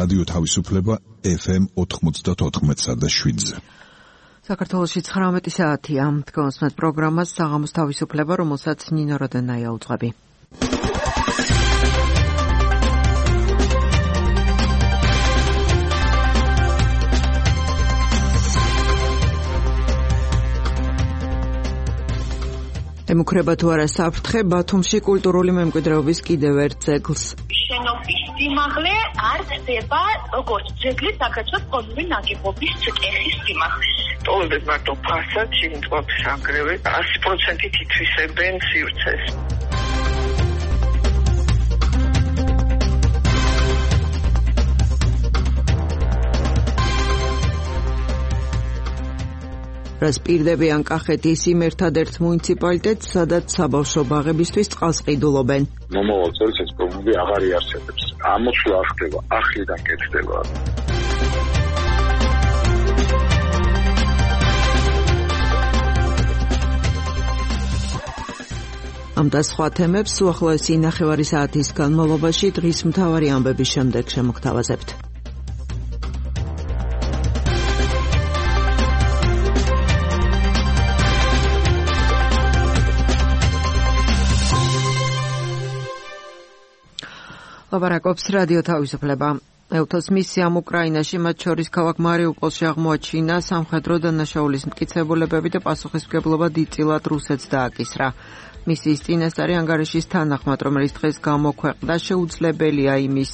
რადიო თავისუფლება FM 94.7-ზე. საქართველოში 19 საათია. თქვენს პროგრამას საღამოს თავისუფლება, რომელსაც ნინო როდენაია უძღვები. ემუქრება თუ არა საფრთხე ბათუმში კულტურული მემკვიდრეობის კიდევ ერთ ძეგლს. შენობის სიმაღლე არ ხდება როგორც ძეგლის საქართველოს კოლონიური ნაგებობის წესის სიმაღლე. ტოვებენ მარტო ფასადს, იმწყობს აგრევე 100%-ით ითვისებენ სივრცეს. რას პირდებიან კახეთის იმ ერთადერთ მუნიციპალიტეტს, სადაც საბავშვო ბაღებისთვის წყალს ყიდულობენ. მომავალ წელს ეს პრობლემა აღარ იარსებებს. ამოშლა არ ხდება, ახლიდან კეთდება. ამ და სხვა თემებს უახლოესი ნახევარი საათის განმავლობაში დღის მთავარი ამბების შემდეგ შემოგთავაზებთ. ლაპარაკობს რადიო თავისუფლება. ევთოს მისიამ უკრაინაში, მათ შორის ქალაქ მარიუპოლში აღმოაჩინა სამხედრო დანაშაულის მტკიცებულებები და პასუხისმგებლობა დიდწილად რუსეთს დააკისრა. მისიის წინასწარი ანგარიშის თანახმად, რომელიც დღეს გამოქვეყნდა, შეუძლებელია იმის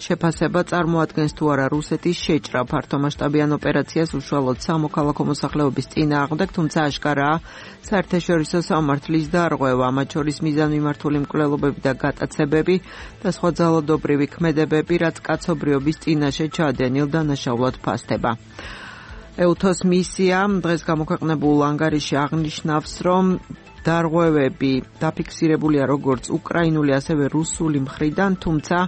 შეფასება წარმოადგენს თუ არა რუსეთის შეჭრა ფართომასშტაბიან ოპერაციას უშუალოდ სამოქალაქო მოსახლეობის წინააღმდეგ, თუმცა აშკარაა საერთაშორისო სამართლის დარღვევა, მათ შორის მიზანმიმართული მკვლელობები და გატაცებები და სხვა ძალადობრივი ქმედებები, რაც კაცობრიობის წინაშე ჩადენილ დანაშაულად ფასდება. ევთოს მისია დღეს გამოქვეყნებულ ანგარიში აღნიშნავს, რომ დარღვევები დაფიქსირებულია როგორც უკრაინული, ასევე რუსული მხრიდან, თუმცა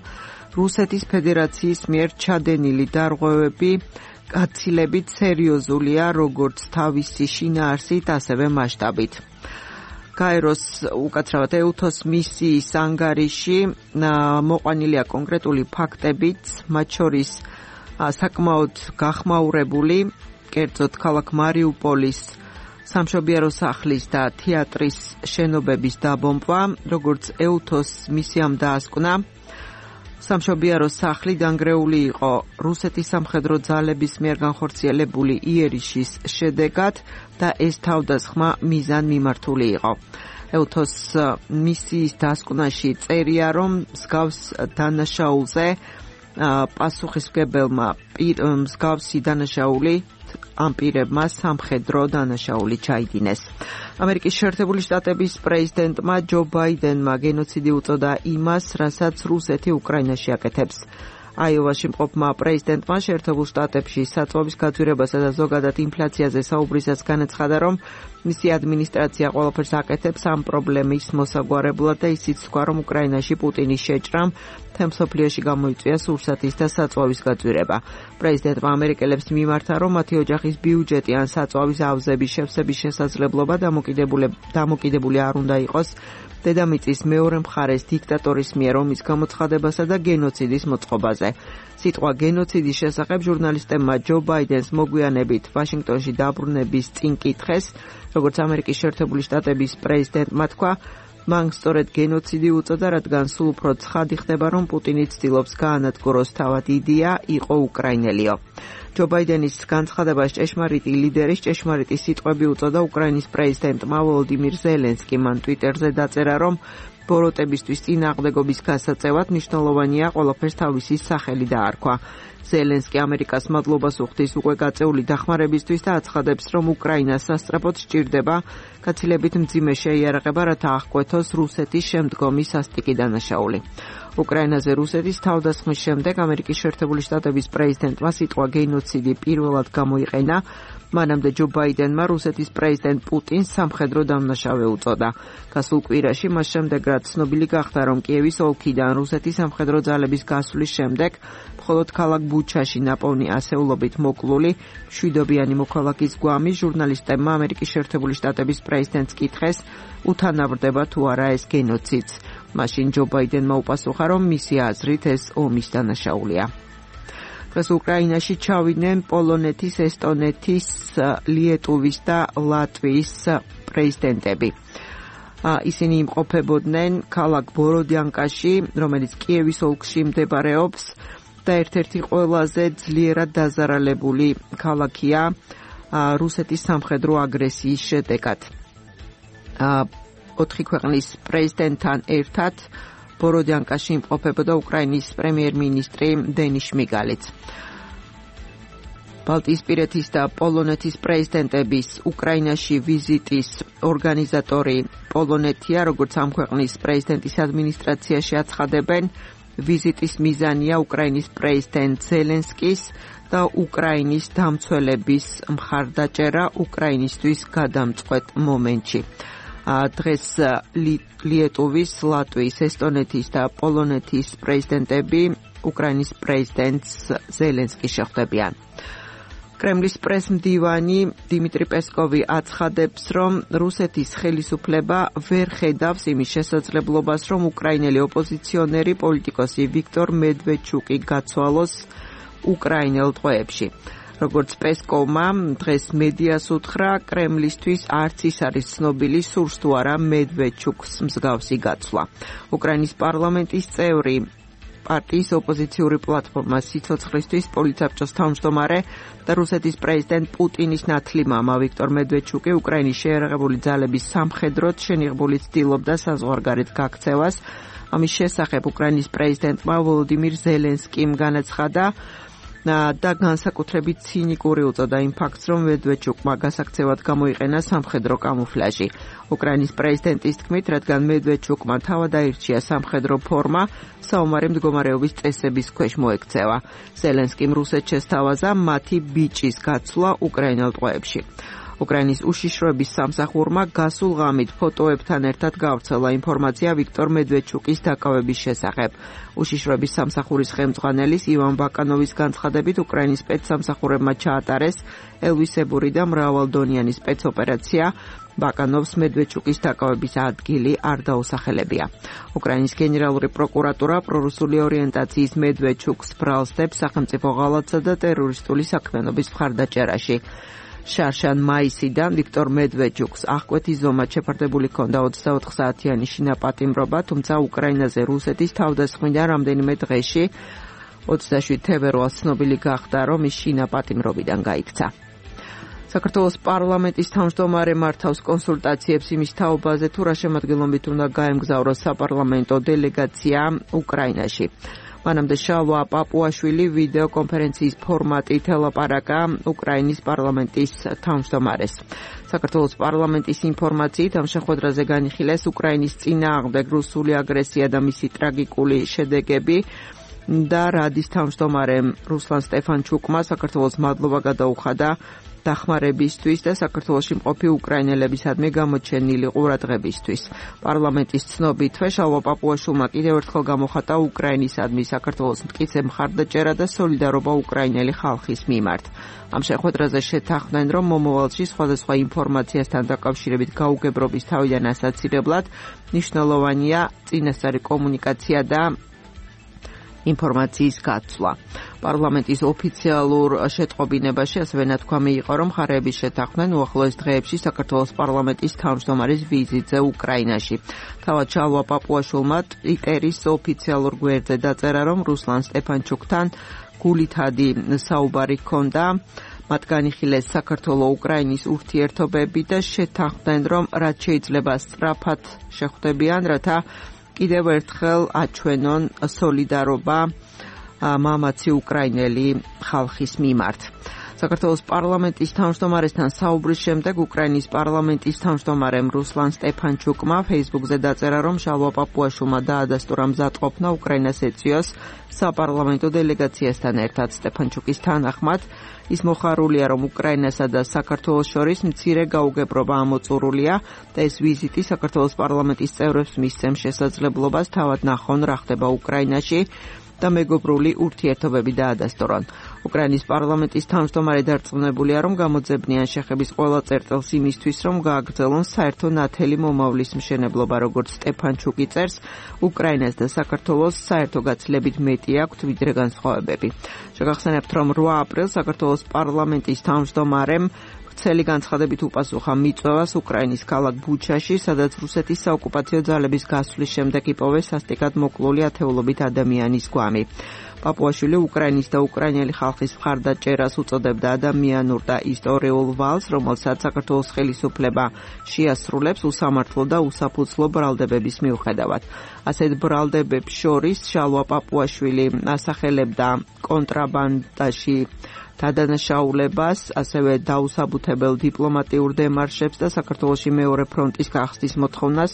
რუსეთის ფედერაციის მიერ ჩადენილი დარღვევები გაცილებით სერიოზულია როგორც თავისი შინაარსით, ასევე მასშტაბით. გაეროს უკაცრავად ევთოს მისიის ანგარიში მოყვანილია კონკრეტული ფაქტებიც, მათ შორის საკმაოდ გახმაურებული, კერძოდ ქალაქ მარიუპოლის სამშობიარო სახლის და თეატრის შენობების დაბომბვა, როგორც ევთოს მისიამ დაასკვნა. სამშობიარო სახლი დანგრეული იყო რუსეთის სამხედრო ძალების მიერ განხორციელებული იერიშის შედეგად და ეს თავდასხმა მიზანმიმართული იყო. ევთოს მისიის დასკვნაში წერია, რომ მსგავს დანაშაულზე პასუხისმგებელმა მსგავსი დანაშაული ამ პირებმა სამხედრო დანაშაული ჩაიდინეს. ამერიკის შეერთებული შტატების პრეზიდენტმა ჯო ბაიდენმა გენოციდი უწოდა იმას, რასაც რუსეთი უკრაინაში აკეთებს. აიოვაში მყოფმა პრეზიდენტმა შეერთებულ შტატებში საწვავის გაძვირებასა და ზოგადად ინფლაციაზე საუბრისას განაცხადა, რომ მისი ადმინისტრაცია ყველაფერს აკეთებს ამ პრობლემის მოსაგვარებლად და ისიც თქვა, რომ უკრაინაში პუტინის შეჭრამ მთელ მსოფლიოში გამოიწვია სურსათის და საწვავის გაძვირება. პრეზიდენტმა ამერიკელებს მიმართა, რომ მათი ოჯახის ბიუჯეტი ან საწვავის ავზების შევსების შესაძლებლობა დამოკიდებული არ უნდა იყოს დედამიწის მეორე მხარეს დიქტატორის მიერ ომის გამოცხადებასა და გენოციდის მოწყობაზე. სიტყვა გენოციდის შესახებ ჟურნალისტებმა ჯო ბაიდენს მოგვიანებით ვაშინგტონში დაბრუნების წინ კითხეს, როგორც ამერიკის შეერთებული შტატების პრეზიდენტმა თქვა, მან სწორედ გენოციდი უწოდა, რადგან სულ უფრო ცხადი ხდება, რომ პუტინი ცდილობს გაანადგუროს თავად იდეა იყო უკრაინელიო. ჯო ბაიდენის განცხადებას ჭეშმარიტი ლიდერის ჭეშმარიტი სიტყვები უწოდა უკრაინის პრეზიდენტმა ვოლოდიმირ ზელენსკიმ. მან ტვიტერზე დაწერა, რომ ბოროტებისთვის წინააღმდეგობის გასაწევად მნიშვნელოვანია ყველაფერს თავისი სახელი დაარქვა. ზელენსკი ამერიკას მადლობას უხდის უკვე გაწეული დახმარებისთვის და აცხადებს, რომ უკრაინას სასწრაფოდ სჭირდება გაცილებით მძიმე შეიარაღება, რათა აღკვეთოს რუსეთის შემდგომი სასტიკი დანაშაული. უკრაინაზე რუსეთის თავდასხმის შემდეგ ამერიკის შეერთებული შტატების პრეზიდენტმა სიტყვა გენოციდი პირველად გამოიყენა. მანამდე ჯო ბაიდენმა რუსეთის პრეზიდენტ პუტინს სამხედრო დამნაშავე უწოდა. გასულ კვირაში მას შემდეგ, რაც ცნობილი გახდა, რომ კიევის ოლქიდან რუსეთის სამხედრო ძალების გასვლის შემდეგ მხოლოდ ქალაქ ბუჩაში ნაპოვნი ასეულობით მოკლული მშვიდობიანი მოქალაქის გვამი ჟურნალისტებმა ამერიკის შეერთებული შტატების პრეზიდენტს კითხეს, უთანაბრდება თუ არა ეს გენოციდს. მაშინ ჯო ბაიდენმა უპასუხა, რომ მისი აზრით ეს ომის დანაშაულია. დღეს უკრაინაში ჩავიდნენ პოლონეთის, ესტონეთის, ლიეტუვის და ლატვიის პრეზიდენტები. ისინი იმყოფებოდნენ ქალაქ ბოროდიანკაში, რომელიც კიევის ოლქში მდებარეობს და ერთ-ერთი ყველაზე ძლიერად დაზარალებული ქალაქია რუსეთის სამხედრო აგრესიის შედეგად. 4 ქვეყნის პრეზიდენტთან ერთად ბოროდიანკაში იმყოფებოდა უკრაინის პრემიერ-მინისტრი დენის შმიგალიც. ბალტიისპირეთის და პოლონეთის პრეზიდენტების უკრაინაში ვიზიტის ორგანიზატორი პოლონეთია, როგორც ამ ქვეყნის პრეზიდენტის ადმინისტრაციაში აცხადებენ, ვიზიტის მიზანია უკრაინის პრეზიდენტ ზელენსკის და უკრაინის დამცველების მხარდაჭერა უკრაინისთვის გადამწყვეტ მომენტში. დღეს ლიეტუვის, ლატვიის, ესტონეთის და პოლონეთის პრეზიდენტები უკრაინის პრეზიდენტს ზელენსკის შეხვდებიან. კრემლის პრესმდივანი დიმიტრი პესკოვი აცხადებს, რომ რუსეთის ხელისუფლება ვერ ხედავს იმის შესაძლებლობას, რომ უკრაინელი ოპოზიციონერი პოლიტიკოსი ვიქტორ მედვედჩუკი გაცვალოს უკრაინელ ტყვეებში. როგორც პესკოვმა დღეს მედიას უთხრა, კრემლისთვის არც ის არის ცნობილი, სურს თუ არა მედვედჩუკს მსგავსი გაცვლა. უკრაინის პარლამენტის წევრი პარტიის ოპოზიციური პლატფორმა სიცოცხლისთვის პოლიცაბჭოს თავმჯდომარე და რუსეთის პრეზიდენტ პუტინის ნათლი მამა ვიქტორ მედვედჩუკი უკრაინის შეიარაღებული ძალების სამხედროდ შენიღბული ცდილობდა საზღვარგარეთ გაქცევას. ამის შესახებ უკრაინის პრეზიდენტმა ვოლოდიმირ ზელენსკიმ განაცხადა და განსაკუთრებით ცინიკური უწოდა იმ ფაქტს, რომ მედვედჩუკმა გასაქცევად გამოიყენა სამხედრო კამუფლაჟი. უკრაინის პრეზიდენტის თქმით, რადგან მედვედჩუკმა თავად აირჩია სამხედრო ფორმა, საომარი მდგომარეობის წესების ქვეშ მოექცევა. ზელენსკიმ რუსეთს შესთავაზა მათი ბიჭის გაცვლა უკრაინელ ტყვეებში. უკრაინის უშიშროების სამსახურმა გასულ ღამით ფოტოებთან ერთად გავრცელა ინფორმაცია ვიქტორ მედვედჩუკის დაკავების შესახებ. უშიშროების სამსახურის ხელმძღვანელის ივან ბაკანოვის განცხადებით, უკრაინის სპეცსამსახურებმა ჩაატარეს ელვისებური და მრავალდონიანი სპეცოპერაცია. ბაკანოვს მედვედჩუკის დაკავების ადგილი არ დაუსახელებია. უკრაინის გენერალური პროკურატურა პრორუსული ორიენტაციის მედვედჩუკს ბრალსდებს სახელმწიფო ღალატსა და ტერორისტული საქმიანობის მხარდაჭერაში. შარშან მაისიდან ვიქტორ მედვედჩუკს აღკვეთი ზომად შეფარდებული ჰქონდა 24 საათიანი შინაპატიმრობა, თუმცა უკრაინაზე რუსეთის თავდასხმიდან რამდენიმე დღეში 27 თებერვალს ცნობილი გახდა, რომ ის შინაპატიმრობიდან გაიქცა. საქართველოს პარლამენტის თავმჯდომარე მართავს კონსულტაციებს იმის თაობაზე, თუ რა შემადგენლობით უნდა გაემგზავროს საპარლამენტო დელეგაცია უკრაინაში. მანამდე შალვა პაპუაშვილი ვიდეო კონფერენციის ფორმატით ელაპარაკა უკრაინის პარლამენტის თავმჯდომარეს. საქართველოს პარლამენტის ინფორმაციით ამ შეხვედრაზე განიხილეს უკრაინის წინააღმდეგ რუსული აგრესია და მისი ტრაგიკული შედეგები და რადის თავმჯდომარემ რუსლან სტეფანჩუკმა საქართველოს მადლობა გადაუხადა დახმარებისთვის და საქართველოში მყოფი უკრაინელებისადმი გამოჩენილი ყურადღებისთვის. პარლამენტის ცნობითვე შალვა პაპუაშვილმა კიდევ ერთხელ გამოხატა უკრაინისადმი საქართველოს მტკიცე მხარდაჭერა და სოლიდარობა უკრაინელი ხალხის მიმართ. ამ შეხვედრაზე შეთანხმდნენ, რომ მომავალში სხვადასხვა ინფორმაციასთან დაკავშირებით გაუგებრობის თავიდან ასაცილებლად მნიშვნელოვანია წინასწარი კომუნიკაცია და ინფორმაციის გაცვლა. პარლამენტის ოფიციალურ შეტყობინებაში ასევე ნათქვამი იყო, რომ მხარეების შეთანხმდნენ უახლოეს დღეებში საქართველოს პარლამენტის თავმჯდომარის ვიზიტზე უკრაინაში. თავად შალვა პაპუაშვილმა ტვიტერის ოფიციალურ გვერდზე დაწერა, რომ რუსლან სტეფანჩუკთან გულითადი საუბარი ჰქონდა. მათ განიხილეს საქართველო-უკრაინის ურთიერთობები და შეთანხმდნენ, რომ რაც შეიძლება სწრაფად შეხვდებიან, რათა კიდევ ერთხელ აჩვენონ სოლიდარობა მამაცი უკრაინელი ხალხის მიმართ. საქართველოს პარლამენტის თავმჯდომარესთან საუბრის შემდეგ უკრაინის პარლამენტის თავმჯდომარემ რუსლან სტეფანჩუკმა Facebook-ზე დაწერა, რომ შალვა პაპუაშვილმა დაადასტურა მზადყოფნა უკრაინას ეწვიოს საპარლამენტო დელეგაციასთან ერთად. სტეფანჩუკის თანახმად ის მოხარულია, რომ უკრაინასა და საქართველოს შორის მცირე გაუგებრობა ამოწურულია და ეს ვიზიტი საქართველოს პარლამენტის წევრებს მისცემს შესაძლებლობას თავად ნახონ რა ხდება უკრაინაში და მეგობრული ურთიერთობები დაადასტურონ. უკრაინის პარლამენტის თავმჯდომარე დარწმუნებულია, რომ გამოძებნიან შეხების ყველა წერტილს იმისთვის, რომ გააგრძელონ საერთო ნათელი მომავლის მშენებლობა, როგორც სტეფანჩუკი წერს, უკრაინას და საქართველოს საერთო გაცილებით მეტი აქვთ, ვიდრე განსხვავებები. შეგახსენებთ, რომ 8 აპრილს საქართველოს პარლამენტის თავმჯდომარემ ვრცელი განცხადებით უპასუხა მიწვევას უკრაინის ქალაქ ბუჩაში, სადაც რუსეთის საოკუპაციო ძალების გასვლის შემდეგ იპოვეს სასტიკად მოკლული ათეულობით ადამიანის გვამი. პაპუაშვილი უკრაინის და უკრაინელი ხალხის მხარდაჭერას უწოდებდა ადამიანურ და ისტორიულ ვალს, რომელსაც საქართველოს ხელისუფლება შეასრულებს უსამართლო და უსაფუძვლო ბრალდებების მიუხედავად. ასეთ ბრალდებებს შორის შალვა პაპუაშვილი ასახელებდა კონტრაბანდაში დადანაშაულებას, ასევე დაუსაბუთებელ დიპლომატიურ დემარშებს და საქართველოში მეორე ფრონტის გახსნის მოთხოვნას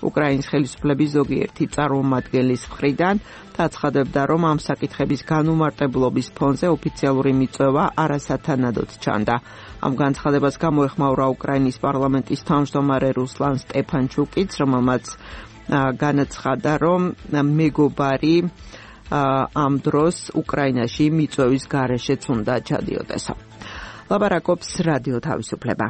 უკრაინის ხელისუფლების ზოგიერთი წარმომადგენლის მხრიდან და აცხადებდა, რომ ამ საკითხების განუმარტებლობის ფონზე ოფიციალური მიწვევა არასათანადოდ ჩანდა. ამ განცხადებას გამოეხმაურა უკრაინის პარლამენტის თავმჯდომარე რუსლან სტეფანჩუკიც, რომელმაც განაცხადა, რომ მეგობარი ამ დროს უკრაინაში მიწვევის გარეშეც უნდა ჩადიოდეს. ლაპარაკობს რადიო თავისუფლება.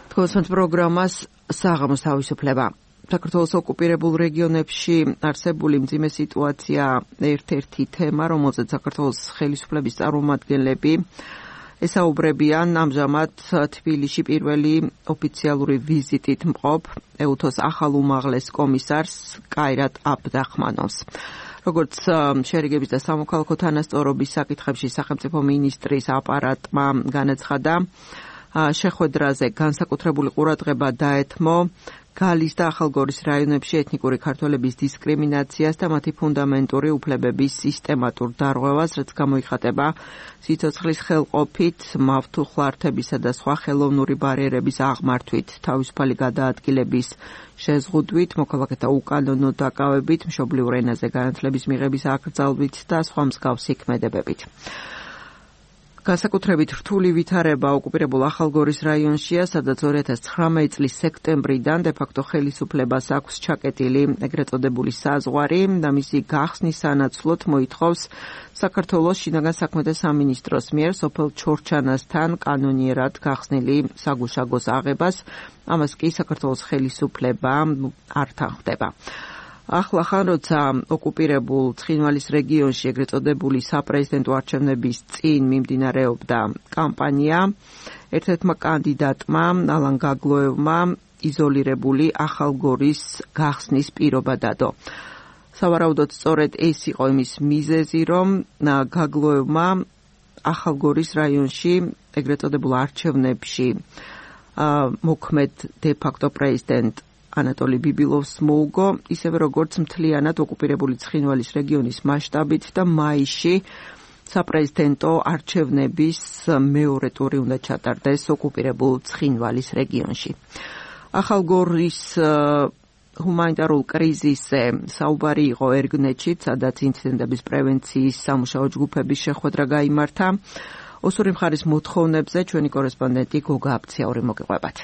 თქვენს პროგრამას საღამოს თავისუფლება. საქართველოს ოკუპირებულ რეგიონებში არსებული მძიმე სიტუაცია ერთ-ერთი თემა, რომელზეც საქართველოს ხელისუფლების წარმომადგენლები ესაუბრებიან ამჟამად თბილისში პირველი ოფიციალური ვიზიტით მყოფ ეუთოს ახალ უმაღლეს კომისარს კაირატ აბდრახმანოვს. როგორც შერიგების და სამოქალაქო თანასწორობის საკითხებში სახელმწიფო მინისტრის აპარატმა განაცხადა, შეხვედრაზე განსაკუთრებული ყურადღება დაეთმო გალის და ახალგორის რაიონებში ეთნიკური ქართველების დისკრიმინაციას და მათი ფუნდამენტური უფლებების სისტემატურ დარღვევას, რაც გამოიხატება სიცოცხლის ხელყოფით, მავთუხლართებისა და სხვა ხელოვნური ბარიერების აღმართვით, თავისუფალი გადაადგილების შეზღუდვით, მოქალაქეთა უკანონო დაკავებით, მშობლიურ ენაზე განათლების მიღების აკრძალვით და სხვა მსგავსი ქმედებებით. განსაკუთრებით რთული ვითარება ოკუპირებულ ახალგორის რაიონშია, სადაც 2019 წლის სექტემბრიდან დე-ფაქტო ხელისუფლებას აქვს ჩაკეტილი ეგრეთ წოდებული საზღვარი და მისი გახსნის სანაცვლოდ მოითხოვს საქართველოს შინაგან საქმეთა სამინისტროს მიერ სოფელ ჩორჩანასთან კანონიერად გახსნილი საგუშაგოს აღებას, ამას კი საქართველოს ხელისუფლება არ თანხმდება. ახლა როცა ოკუპირებულ ცხინვალის რეგიონში ეგრეთ წოდებული საპრეზიდენტო არჩევნების წინ მიმდინარეობდა კამპანია, ერთ-ერთმა კანდიდატმა ალან გაგლოევმა იზოლირებული ახალგორის გახსნის პირობა დადო. სავარაუდოდ სწორედ ეს იყო იმის მიზეზი, რომ გაგლოევმა ახალგორის რაიონში ეგრეთ წოდებულ არჩევნებში მოქმედ დე-ფაქტო პრეზიდენტ ანატოლი ბიბილოვს მოუგო, ისევე როგორც მთლიანად ოკუპირებული ცხინვალის რეგიონის მასშტაბით და მაისში საპრეზიდენტო არჩევნების მეორე ტური უნდა ჩატარდეს ოკუპირებულ ცხინვალის რეგიონში. ახალგორის ჰუმანიტარულ კრიზისზე საუბარი იყო ერგნეთში, სადაც ინციდენტების პრევენციის სამუშაო ჯგუფების შეხვედრა გაიმართა. ოსური მხარის მოთხოვნებზე ჩვენი კორესპონდენტი გოგა აბციაური მოგიყვებათ.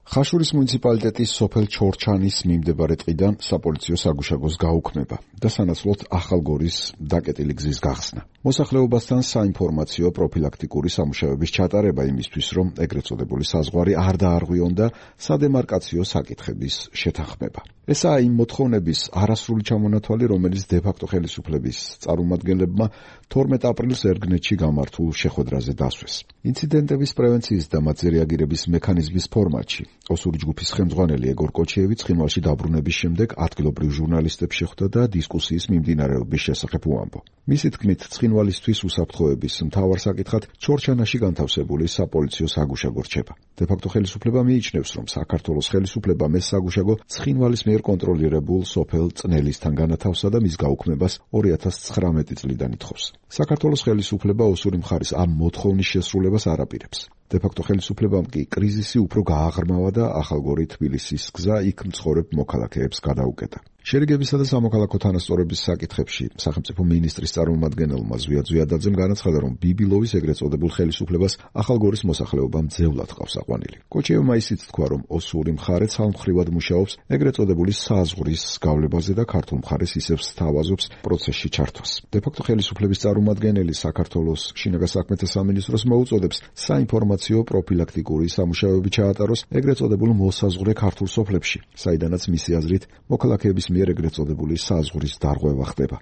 ხაშურის მუნიციპალიტეტის სოფელ ჩორჩანის მიმდებარე ტყიდან საპოლიციო საგუშაგოს გაუქმება და სანაცვლოდ ახალგორის დაკეტილი გზის გახსნა. მოსახლეობასთან საინფორმაციო პროფილაქტიკური სამუშაოების ჩატარება იმისთვის, რომ ეგრეთ წოდებული საზღვარი არ დაარღვიონ და სადემარკაციო საკითხების შეთანხმება. ესაა იმ მოთხოვნების არასრული ჩამონათვალი, რომელიც დე-ფაქტო ხელისუფლების წარმომადგენლებმა 12 აპრილს ერგნეთში გამართულ შეხვედრაზე დასვეს. ინციდენტების პრევენციის და მათზე რეაგირების მექანიზმის ფორმატში ოსური ჯგუფის ხელმძღვანელი ეგორ კოჩიევი ცხინვალში დაბრუნების შემდეგ ადგილობრივ ჟურნალისტებს შეხვდა და დისკუსიის მიმდინარეობის შესახებ უამბო. მისი თქმით, ცხინვალისთვის უსაფრთხოების მთავარ საკითხად ჩორჩანაში განთავსებული საპოლიციო საგუშაგო რჩება. დე-ფაქტო ხელისუფლება მიიჩნევს, რომ საქართველოს ხელისუფლებამ ეს საგუშაგო ცხინვალის მიერ კონტროლირებულ სოფელ წნელისთან განათავსა და მის გაუქმებას 2019 წლიდან ითხოვს. საქართველოს ხელისუფლება ოსური მხარის ამ მოთხოვნის შესრულებას არ აპირებს. დე-ფაქტო ხელისუფლებამ კი კრიზისი უფრო გააღრმავა და ახალგორი თბილისის გზა იქ მცხოვრებ მოქალაქეებს გადაუკეტა. შერიგებისა და სამოქალაქო თანასწორობის საკითხებში სახელმწიფო მინისტრის წარმომადგენელმა ზვია ზვიადაძემ განაცხადა, რომ ბიბილოვის ეგრეთ წოდებულ ხელისუფლებას ახალგორის მოსახლეობა მძევლად ყავს აყვანილი. კოჩიევმა ისიც თქვა, რომ ოსური მხარე ცალმხრივად მუშაობს ეგრეთ წოდებული საზღვრის გავლებაზე და ქართულ მხარეს ისევ სთავაზობს პროცესში ჩართვას. დე-ფაქტო ხელისუფლების წარმომადგენელი საქართველოს შინაგან საქმეთა სამინისტროს მოუწოდებს საინფორმაციო პროფილაქტიკური სამუშაოები ჩაატაროს ეგრეთ წოდებულ მოსაზღვრე ქართულ სოფლებში, საიდანაც მისი აზრით მოქალაქეების მიერ ეგრეთ წოდებული საზღვრის დარღვევა ხდება.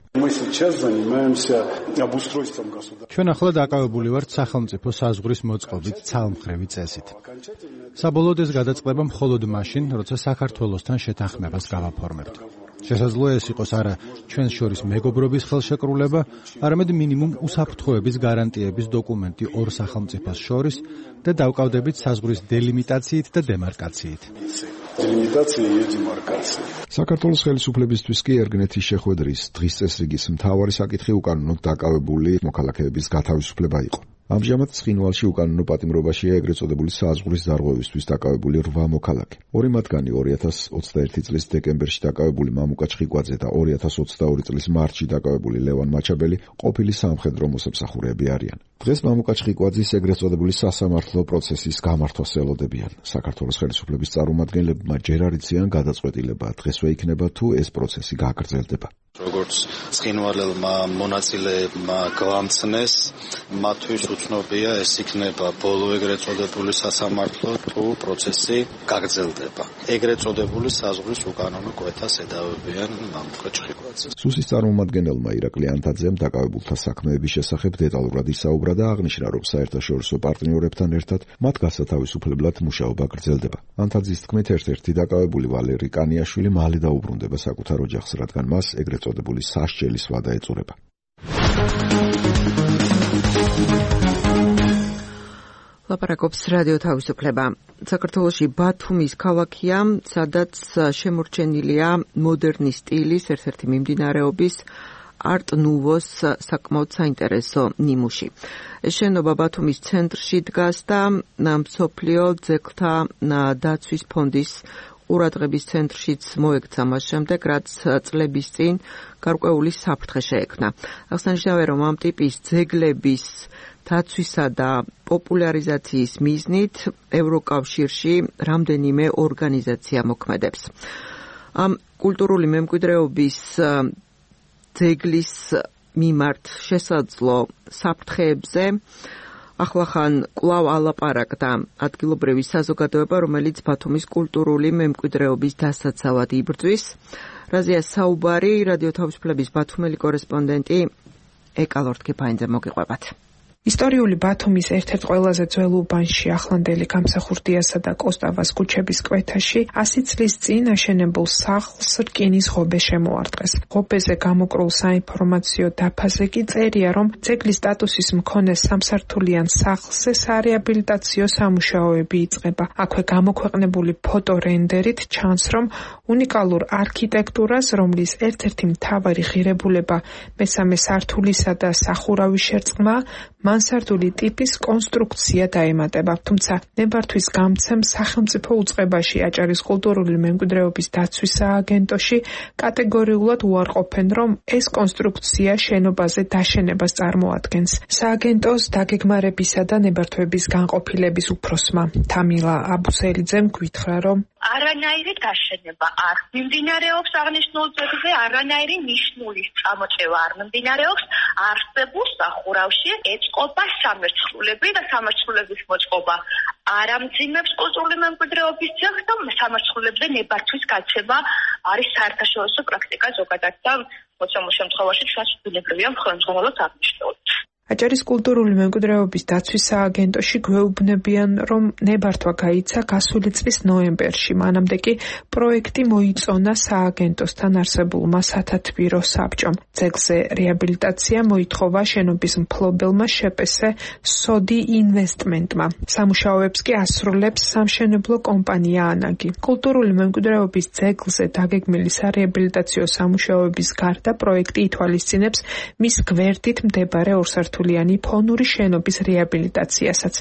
ჩვენ ახლა დაკავებული ვართ სახელმწიფო საზღვრის მოწყობით ცალმხრივი წესით. საბოლოოდ ეს გადაწყდება მხოლოდ მაშინ, როცა საქართველოსთან შეთანხმებას გავაფორმებთ. შესაძლოა ეს იყოს არა ჩვენს შორის მეგობრობის ხელშეკრულება, არამედ მინიმუმ უსაფრთხოების გარანტიების დოკუმენტი ორ სახელმწიფოს შორის და დავკავდებით საზღვრის დელიმიტაციით და დემარკაციით. საქართველოს ხელისუფლებისთვის კი ერგნეთის შეხვედრის დღის წესრიგის მთავარი საკითხი უკანონოდ დაკავებული მოქალაქეების გათავისუფლება იყო. ამჟამად ცხინვალში უკანონო პატიმრობაშია ეგრეთ წოდებული საზღვრის დარღვევისთვის დაკავებული 8 მოქალაქე. ორი მათგანი 2021 წლის დეკემბერში დაკავებული მამუკა ჩხიკვაძე და 2022 წლის მარტში დაკავებული ლევან მაჩაბელი ყოფილი სამხედრო მოსამსახურეები არიან. დღეს მამუკა ჩხიკვაძის ეგრეთ წოდებული სასამართლო პროცესის გამართვას ელოდებიან. საქართველოს ხელისუფლების წარმომადგენლებმა ჯერ არ იციან გადაწყვეტილება დღესვე იქნება თუ ეს პროცესი გაგრძელდება. როგორც ცხინვალელმა მონაწილეებმა გვამცნეს, მათთვის უცნობია ეს იქნება ბოლო ეგრეთ წოდებული სასამართლო თუ პროცესი გაგრძელდება. ეგრეთ წოდებული საზღვრის უკანონო კვეთას ედავებიან მამუკა ჩხიკვაძეს. სუსის წარმომადგენელმა ირაკლი ანთაძემ დაკავებულთა საქმეების შესახებ დეტალურად ისაუბრა და აღნიშნა, რომ საერთაშორისო პარტნიორებთან ერთად მათ გასათავისუფლებლად მუშაობა გრძელდება. ანთაძის თქმით, ერთ-ერთი დაკავებული ვალერი კანიაშვილი მალე დაუბრუნდება საკუთარ ოჯახს, რადგან მას ეგრეთ წოდებული სასჯელის ვადა ეწურება. ლაპარაკობს რადიო თავისუფლება. საქართველოში ბათუმის ქალაქია, სადაც შემორჩენილია მოდერნის სტილის ერთ-ერთი მიმდინარეობის არტ ნუვოს საკმაოდ საინტერესო ნიმუში. ეს შენობა ბათუმის ცენტრში დგას და მსოფლიო ძეგლთა დაცვის ფონდის ყურადღების ცენტრშიც მოექცა მას შემდეგ, რაც წლების წინ გარკვეული საფრთხე შეექმნა. აღსანიშნავია, რომ ამ ტიპის ძეგლების დაცვისა და პოპულარიზაციის მიზნით ევროკავშირში რამდენიმე ორგანიზაცია მოქმედებს. ამ კულტურული მემკვიდრეობის ძეგლის მიმართ შესაძლო საფრთხეებზე ახლახან კვლავ ალაპარაკდა ადგილობრივი საზოგადოება, რომელიც ბათუმის კულტურული მემკვიდრეობის დასაცავად იბრძვის. რაზეა საუბარი რადიო თავისუფლების ბათუმელი კორესპონდენტი ეკალორთქიფაინძე მოგიყვებათ. ისტორიული ბათუმის ერთ-ერთ ყველაზე ძველ უბანში, ახლანდელი გამსახურდიასა და კოსტავას ქუჩების კვეთაში 100 წლის წინ აშენებულ სახლს რკინის ღობე შემოარტყეს. ღობეზე გამოკრულ საინფორმაციო დაფაზე კი წერია, რომ ძეგლის სტატუსის მქონე სამსართულიან სახლზე სარეაბილიტაციო სამუშაოები იწყება. აქვე გამოქვეყნებული ფოტორენდერით ჩანს, რომ უნიკალურ არქიტექტურას, რომლის ერთ-ერთი მთავარი ღირებულება მესამე სართულისა და სახურავის შერწყმა, მანსარდული ტიპის კონსტრუქცია დაემატება. თუმცა ნებართვის გამცემ სახელმწიფო უწყებაში აჭარის კულტურული მემკვიდრეობის დაცვის სააგენტოში კატეგორიულად უარყოფენ, რომ ეს კონსტრუქცია შენობაზე დაშენებას წარმოადგენს. სააგენტოს დაგეგმარებისა და ნებართვების განყოფილების უფროსმა თამილა აბუსელიძემ გვითხრა, რომ არანაირი დაშენება არ მიმდინარეობს აღნიშნულ ძეგლზე, არანაირი ნიშნულის წამოწევა არ მიმდინარეობს. არსებულ სახურავში ეწყობა სამერცხლულები და სამერცხლულების მოწყობა არ ამძიმებს კულტურული მემკვიდრეობის ძეგლს და სამერცხლულებზე ნებართვის გაცემა არის საერთაშორისო პრაქტიკა ზოგადად და მოცემულ შემთხვევაში ჩვენს ბუნებრივია მხოლოდ აღნიშნული. აჭარის კულტურული მემკვიდრეობის დაცვის სააგენტოში გვეუბნებიან, რომ ნებართვა გაიცა გასული წლის ნოემბერში. მანამდე კი პროექტი მოიწონა სააგენტოსთან არსებულმა სათათბირო საბჭომ. ძეგლზე რეაბილიტაცია მოითხოვა შენობის მფლობელმა შეპესე სოდი ინვესტმენტმა. სამუშაოებს კი ასრულებს სამშენებლო კომპანია ანაგი. კულტურული მემკვიდრეობის ძეგლზე დაგეგმილი სარეაბილიტაციო სამუშაოების გარდა პროექტი ითვალისწინებს მის გვერდით მდებარე ორსართულიან სამსართულიანი ფონური შენობის რეაბილიტაციასაც,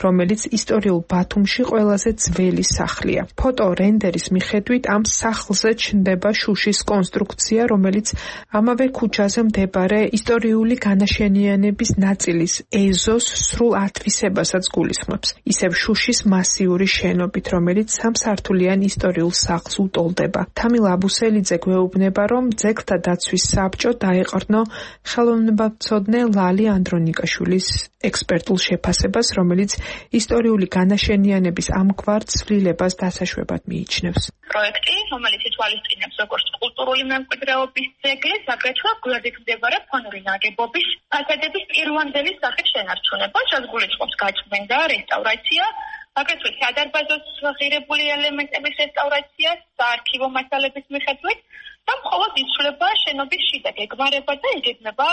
რომელიც ისტორიულ ბათუმში ყველაზე ძველი სახლია. ფოტო რენდერის მიხედვით ამ სახლზე ჩნდება შუშის კონსტრუქცია, რომელიც ამავე ქუჩაზე მდებარე ისტორიული განაშენიანების ნაწილის ეზოს სრულ ათვისებასაც გულისხმობს. ისევ შუშის მასიური შენობით, რომელიც სამსართულიან ისტორიულ სახლს უტოლდება. თამილ აბუსელიძე გვეუბნება, რომ ძეგლთა დაცვის საბჭო დაეყრდნო ხელოვნებაცოდნე ლალი ანდრონიკაშვილის ექსპერტულ შეფასებას, რომელიც ისტორიული განაშენიანების ამგვარ ცვლილებას დასაშვებად მიიჩნევს. პროექტი, რომელიც ითვალისწინებს როგორც კულტურული მემკვიდრეობის ძეგლის, აგრეთვე გვერდით მდებარე ფონური ნაგებობის ფასადების პირვანდელი სახით შენარჩუნება, რაც გულისხმობს გაწმენდა, რესტავრაცია, აგრეთვე სადარბაზოს ღირებული ელემენტების რესტავრაცია, საარქივო მასალების მიხედვით და მხოლოდ იცვლება შენობის შიდა გეგმარება და იგეგმება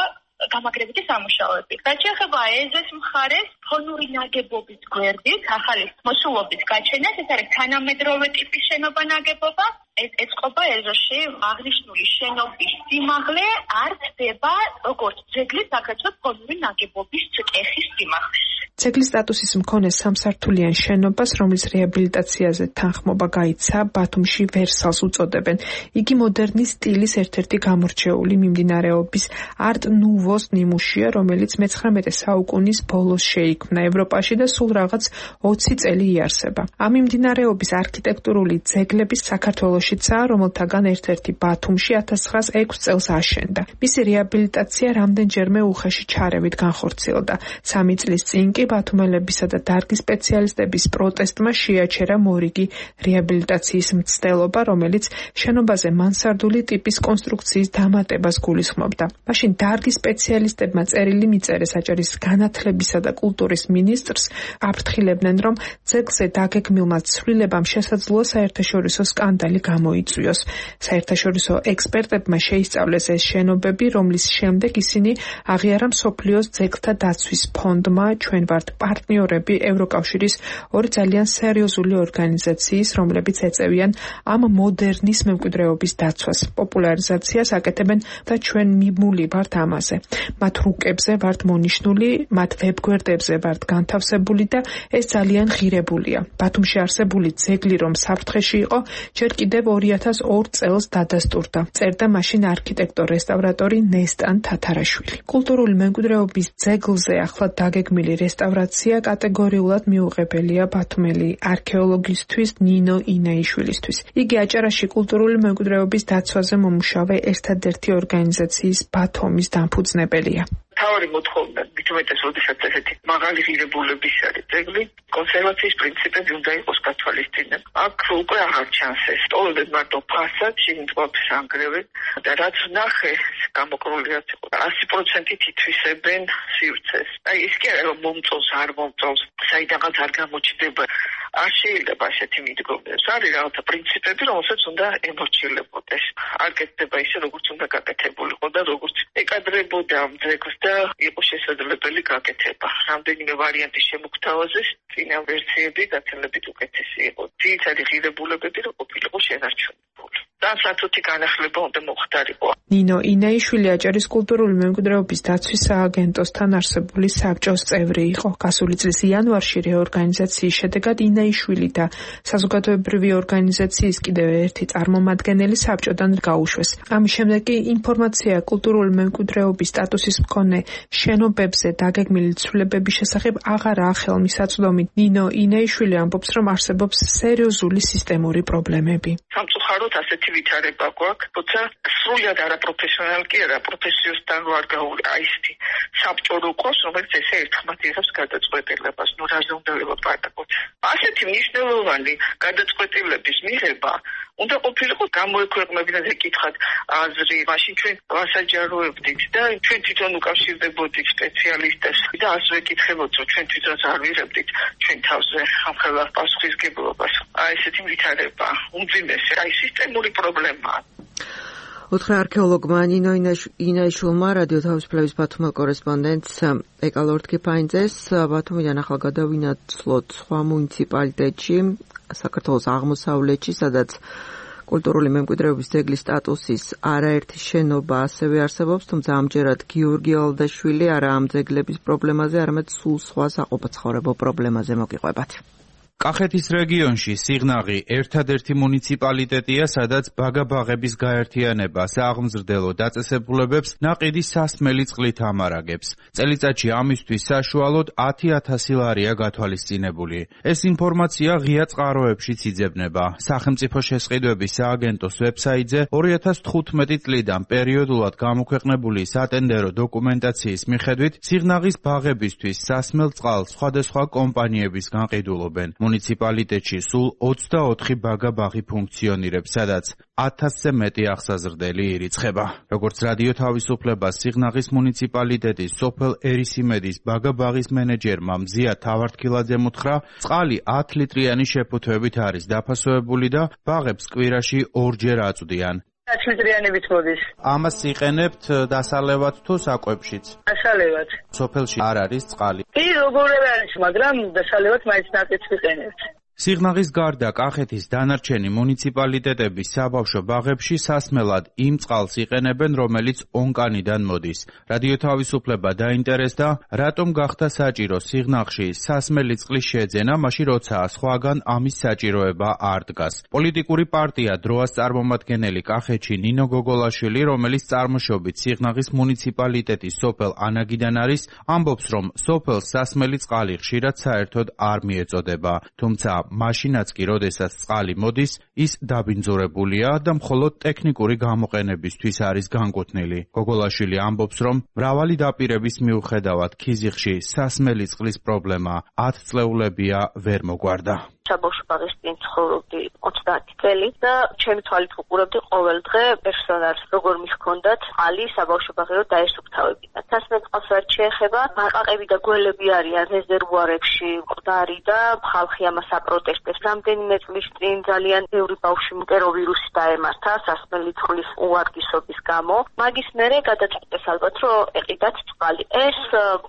გამაგრებითი სამუშაოები. რაც შეეხება ეზოს მხარეს, ფონური ნაგებობის გვერდით ახალი მოსულობის გაჩენას, ეს არის თანამედროვე ტიპის შენობა ნაგებობა. ეს ეწყობა ეზოში აღნიშნული შენობის სიმაღლე არ ხდება როგორც ძეგლის, აგრეთვე ფონური ნაგებობის წკეხის სიმაღლეს. ძეგლის სტატუსის მქონე სამსართულიან შენობას, რომლის რეაბილიტაციაზე თანხმობა გაიცა, ბათუმში ვერსალს უწოდებენ. იგი მოდერნის სტილის ერთ-ერთი გამორჩეული მიმდინარეობის არტ ნუვოს ნიმუშია, რომელიც მე-19 საუკუნის ბოლოს შეიქმნა ევროპაში და სულ რაღაც 20 წელი იარსება. ამ მიმდინარეობის არქიტექტურული ძეგლების საქართველოშიცაა, რომელთაგან ერთ-ერთი ბათუმში 1906 წელს აშენდა. მისი რეაბილიტაცია რამდენჯერმე უხეში ჩარევით განხორციელდა. 3 წლის წინ კი ბათუმელებისა და დარგის სპეციალისტების პროტესტმა შეაჩერა მორიგი რეაბილიტაციის მცდელობა, რომელიც შენობაზე მანსარდული ტიპის კონსტრუქციის დამატებას გულისხმობდა. მაშინ დარგის სპეციალისტებმა წერილი მიწერეს აჭარის განათლებისა და კულტურის მინისტრს, აფრთხილებდნენ, რომ ძეგლზე დაგეგმილმა ცვლილებამ შესაძლოა საერთაშორისო სკანდალი გამოიწვიოს. საერთაშორისო ექსპერტებმა შეისწავლეს ეს შენობები, რომლის შემდეგ ისინი აღიარა მსოფლიოს ძეგლთა დაცვის ფონდმა, ჩვენ ვართ პარტნიორები ევროკავშირის ორი ძალიან სერიოზული ორგანიზაციის, რომლებიც ეწევიან ამ მოდერნის მემკვიდრეობის დაცვას, პოპულარიზაციას აკეთებენ და ჩვენ მიმული ვართ ამაზე. მათ რუკებზე ვართ მონიშნული, მათ ვებგვერდებზე ვართ განთავსებული და ეს ძალიან ღირებულია. ბათუმში არსებული ძეგლი, რომ საფრთხეში იყო, ჯერ კიდევ 2002 წელს დადასტურდა. წერდა მაშინ არქიტექტორ-რესტავრატორი ნესტან თათარაშვილი. კულტურული მემკვიდრეობის ძეგლზე ახლად დაგეგმილი რესტავრაცია კატეგორიულად მიუღებელია ბათუმელი არქეოლოგისთვის ნინო ინაიშვილისთვის. იგი აჭარაში კულტურული მემკვიდრეობის დაცვაზე მომუშავე ერთადერთი ორგანიზაციის ბათუმის დამფუძნებელია. თავი მოთხოვნა მithumetes როდესაც ესეთი მაღალი ღირებულების არის ძეგლი, კონსერვაციის პრინციპები უნდა იყოს გათვალისწინებული. აქ უკვე აღარ ჩანს ეს. ტოვებენ მარტო ფასადში მიტყობს ანგრევენ და რაც ნახე გამოკრულიაც იყო. 100%-ით ითვისებენ სივრცეს. აი ის კი არა რომ მომწონს არ მომწონს, საიდანაც არ გამოჩნდება. არ შეიძლება ასეთი მიდგომებს. არის რაღაცა პრინციპები, რომელსაც უნდა ემორჩილებოდეს. არ კეთდება ისე, როგორც უნდა გაკეთებულიყო და როგორც ეკადრებოდა ამ ძეგლს და იყო შესაძლებელი გაკეთება. რამდენიმე ვარიანტი შემოგთავაზეს, წინა ვერსიები გაცილებით უკეთესი იყო. ძირითადი ღირებულებები რო ყოფილიყო შენარჩუნებული. და სათუთი განახლება უნდა მოხდარიყო. ნინო ინაიშვილი აჭარის კულტურული მემკვიდრეობის დაცვის სააგენტოსთან არსებული საბჭოს წევრი იყო. გასული წლის იანვარში რეორგანიზაციის შედეგად ინაიშვილი და საზოგადოებრივი ორგანიზაციის კიდევ ერთი წარმომადგენელი საბჭოდან გაუშვეს. ამის შემდეგ კი ინფორმაცია კულტურული მემკვიდრეობის სტატუსის მქონე შენობებზე დაგეგმილი ცვლილებების შესახებ აღარაა ხელმისაწვდომი. ნინო ინაიშვილი ამბობს, რომ არსებობს სერიოზული სისტემური პრობლემები. სამწუხაროდ ასეთი ვითარება გვაქვს, თუმცა სრულად არაპროფესიონალი კი არა, პროფესიოსთან რო არ გაუაისთი საბჭო რო ყავს, რომელიც ესე ერთხმად იღებს გადაწყვეტილებას, ნუ რაზე უნდა ველაპარაკოთ. ასეთი მნიშვნელოვანი გადაწყვეტილების მიღება უნდა ყოფილიყო გამოექვეყნებინა ეკითხათ აზრი, მაშინ ჩვენ ვასაჯაროებდით და ჩვენ თვითონ უკავშირდებოდით სპეციალისტებს და ასე ვეკითხებოდით, რომ ჩვენ თვითონაც არ ვიღებდით ჩვენ თავზე ამ ხელა პასუხისგებლობას. აი ესეთი ვითარება უმძიმესი, აი სისტემური პრობლემაა. უთხრა არქეოლოგმა ნინო ინაიშვილმა რადიო თავისუფლების ბათუმელ კორესპონდენტს ეკალორდ კიფაინძეს ბათუმიდან ახალ გადავინაცვლოთ სხვა მუნიციპალიტეტში, საქართველოს აღმოსავლეთში, სადაც კულტურული მემკვიდრეობის ძეგლის სტატუსის არაერთი შენობა ასევე არსებობს, თუმცა ამჯერად გიორგი ალდაშვილი არა ამ ძეგლების პრობლემაზე, არამედ სულ სხვა საყოფაცხოვრებო პრობლემაზე მოგიყვებათ. კახეთის რეგიონში სიღნაღი ერთადერთი მუნიციპალიტეტია, სადაც ბაგა-ბაღების გაერთიანება სააღმზრდელო დაწესებულებებს ნაყიდის სასმელი წყლით ამარაგებს. წელიწადში ამისთვის საშუალოდ 10,000 ლარია გათვალისწინებული. ეს ინფორმაცია ღია წყაროებშიც იძებნება. სახელმწიფო შესყიდვების სააგენტოს ვებსაიტზე 2015 წლიდან პერიოდულად გამოქვეყნებული სატენდერო დოკუმენტაციის მიხედვით სიღნაღის ბაღებისთვის სასმელ წყალს სხვადასხვა კომპანიების განყიდულობენ. მუნიციპალიტეტში სულ 24 ბაგა-ბაღი ფუნქციონირებს, სადაც 1000-ზე მეტი აღსაზრდელი ირიცხება. როგორც რადიო თავისუფლებას სიღნაღის მუნიციპალიტეტის სოფელ ერისიმედის ბაგა-ბაღის მენეჯერმა მზია თავართქილაძემ უთხრა, წყალი 10 ლიტრიანი შეფუთვებით არის დაფასოებული და ბაღებს კვირაში 2-ჯერ აწვდიან. 10 ლიტრიანებით მოდის. ამას იყენებთ დასალევად თუ საკვებშიც? დასალევად. სოფელში არ არის წყალი. კი, როგორ არის, მაგრამ დასალევად მაინც ნაკეთს ვიყენებთ. სიღნაღის გარდა კახეთის დანარჩენი მუნიციპალიტეტების საბავშვო ბაღებში სასმელად იმ წყალს იყენებენ, რომელიც ონკანიდან მოდის. რადიო თავისუფლება დაინტერესდა, რატომ გახდა საჭირო სიღნაღში სასმელი წყლის შეძენა, მაშინ როცა სხვაგან ამის საჭიროება არ დგას. პოლიტიკური პარტია დროას წარმომადგენელი კახეთში ნინო გოგოლაშვილი, რომელიც წარმოშობით სიღნაღის მუნიციპალიტეტის სოფელ ანაგიდან არის, ამბობს, რომ სოფელს სასმელი წყალი ხშირად საერთოდ არ მიეწოდება, თუმცა მაშინაც კი, როდესაც წყალი მოდის, ის დაბინძურებულია და მხოლოდ ტექნიკური გამოყენებისთვის არის განკუთვნილი. გოგოლაშვილი ამბობს, რომ მრავალი დაპირების მიუხედავად ქიზიყში სასმელი წყლის პრობლემა 10 წლეულებია ვერ მოგვარდა. საბავშვო ბაღის წინ ცხოვრობდი 30 წელი და ჩემი თვალით ვუყურებდი ყოველ დღე პერსონალს, როგორ მიხქონდათ წყალი საბავშვო ბაღეო დაესუფთავებინათ. სასმელ წყალს რაც შეეხება, ბაყაყები და გველები არიან რეზერვუარებში მკვდარი და ხალხი ამას აპროტესტებს. რამდენიმე წლის წინ ძალიან ბევრი ბავშვი მტეროვირუსი დაემართა სასმელი წყლის უვარგისობის გამო. მაგის მერე გადაწყვიტეს ალბათ, რომ ეყიდათ წყალი. ეს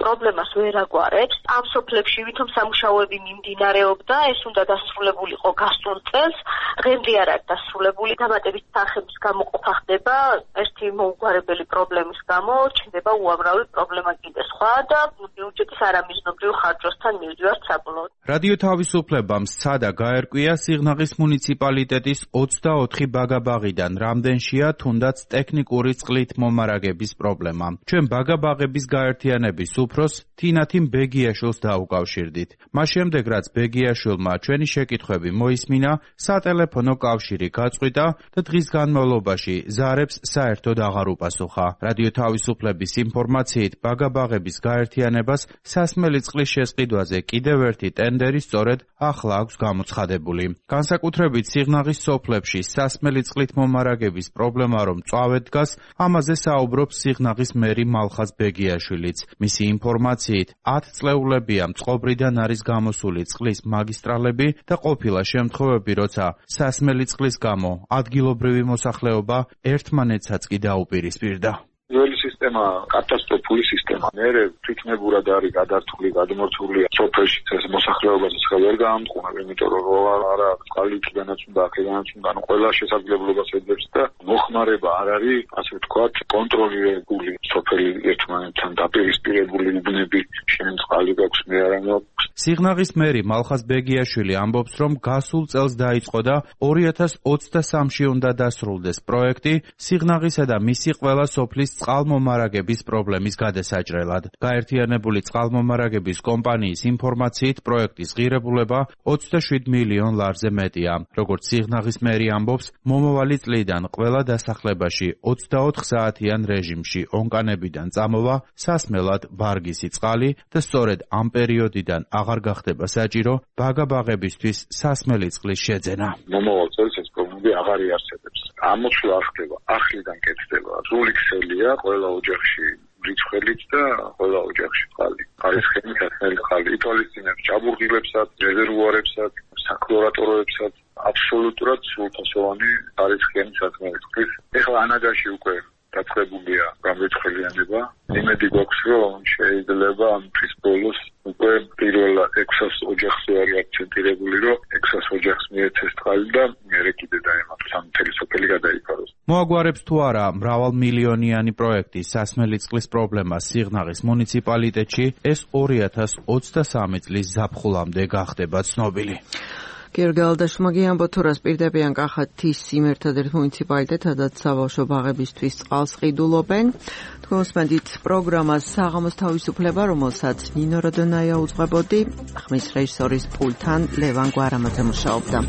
პრობლემას ვერ აგვარებს. ამ სოფლებში ვითომ სამუშაოები მიმდინარეობდა, ეს უნდა დასრულებული იყო გასულ წელს, დღემდე არ არის დასრულებული. დამატებით თანხების გამოყოფა ხდება, ერთი მოუგვარებელი პრობლემის გამო ჩნდება უამრავი პრობლემა კიდე სხვა და ბიუჯეტის არამიზნობრივ ხარჯვასთან მივდივართ საბოლოოდ. რადიო თავისუფლებამ სცადა გაერკვია სიღნაღის მუნიციპალიტეტის 24 ბაგა-ბაღიდან რამდენშია თუნდაც ტექნიკური წყლით მომარაგების პრობლემა. ჩვენ ბაგა-ბაღების გაერთიანების უფროს თინათინ ბეგიაშვილს დაუკავშირდით. მას შემდეგ, რაც ბეგიაშვილმა ჩვენი შეკითხვები მოისმინა, სატელეფონო კავშირი გაწყვიტა და დღის განმავლობაში ზარებს საერთოდ აღარ უპასუხა. რადიო თავისუფლების ინფორმაციით, ბაგა-ბაღების გაერთიანებას სასმელი წყლის შესყიდვაზე კიდევ ერთი ტენდერი სწორედ ახლა აქვს გამოცხადებული. განსაკუთრებით სიღნაღის სოფლებში სასმელი წყლით მომარაგების პრობლემა რომ მწვავედ დგას, ამაზე საუბრობს სიღნაღის მერი მალხაზ ბეგიაშვილიც. მისი ინფორმაციით, 10 წლეულებია წყობრიდან არის გამოსული წყლის მაგისტრალები და ყოფილა შემთხვევები, როცა სასმელი წყლის გამო ადგილობრივი მოსახლეობა ერთმანეთსაც კი დაუპირისპირდა. ძველი სისტემა კატასტროფული სისტემა. მერე თვითნებურად არის გადართული, გადმორთული სოფელში ეს მოსახლეობასაც ვერ გაამტყუნა, იმიტომ რომ არა წყალი იქიდანაც უნდა, აქედანაც უნდა, ყველა შესაძლებლობას ეძებს და მოხმარება არ არის, ასე ვთქვათ, კონტროლირებული სოფელი ერთმანეთთან დაპირისპირებული უბნები, შენ წყალი გაქვს, მე არა მაქვს. სიღნაღის მერი მალხაზ ბეგიაშვილი ამბობს, რომ გასულ წელს დაიწყო და 2023-ში უნდა დასრულდეს პროექტი სიღნაღისა და მისი ყველა სოფლის წყალმომარაგების პრობლემის გადასაჭრელად. გაერთიანებული წყალმომარაგების კომპანიის ინფორმაციით, პროექტის ღირებულება 27 მილიონ ლარზე მეტია. როგორც სიღნაღის მერი ამბობს, მომავალი წლიდან ყველა დასახლებაში 24 საათიან რეჟიმში ონკანებიდან წამოვა სასმელად ვარგისი წყალი და სწორედ ამ პერიოდიდან აღარ გახდება საჭირო ბაგა-ბაღებისთვის სასმელი წყლის შეძენა. მომავალ წელს ეს პრობლემები აღარ იარსებებს. ამოშლა არ ხდება, ახლიდან კეთდება. სრული ქსელია ყველა ოჯახში რიცხველიც და ყველა ოჯახში წყალი. არის ხელი სასმელი წყალი. ითვალისწინებს ჭაბურღილებსაც, რეზერვუარებსაც, საკლორატოროებსაც, აბსოლუტურად სრულფასოვანი არის ხელი სასმელი წყლის. ეხლა ანაგაში უკვე დაწყებულია გამრიცხველიანება. იმედი გვაქვს, რომ შეიძლება ამის ბოლოს უკვე პირველ 600 ოჯახზე არის აქცენტირებული, რომ 600 ოჯახს მიეცეს წყალი და მერე კიდე დაემატოს ამ მთელი მოაგვარებს თუ არა მრავალმილიონიანი პროექტი სასმელი წყლის პრობლემა სიღნაღის მუნიციპალიტეტში, ეს 2023 წლის ზაფხულამდე გახდება ცნობილი. გერგალდაშმა გიამბო თუ რას პირდებიან კახეთის იმ ერთადერთ მუნიციპალიტეტს, სადაც საბავშვო ბაღებისთვის წყალს ყიდულობენ. თქვენსმენდით პროგრამას საღამოს თავისუფლება, რომელსაც ნინო როდონაია უძღვებოდი, ხმის რეჟისორის პულტთან ლევან გვარამაძე მუშაობდა.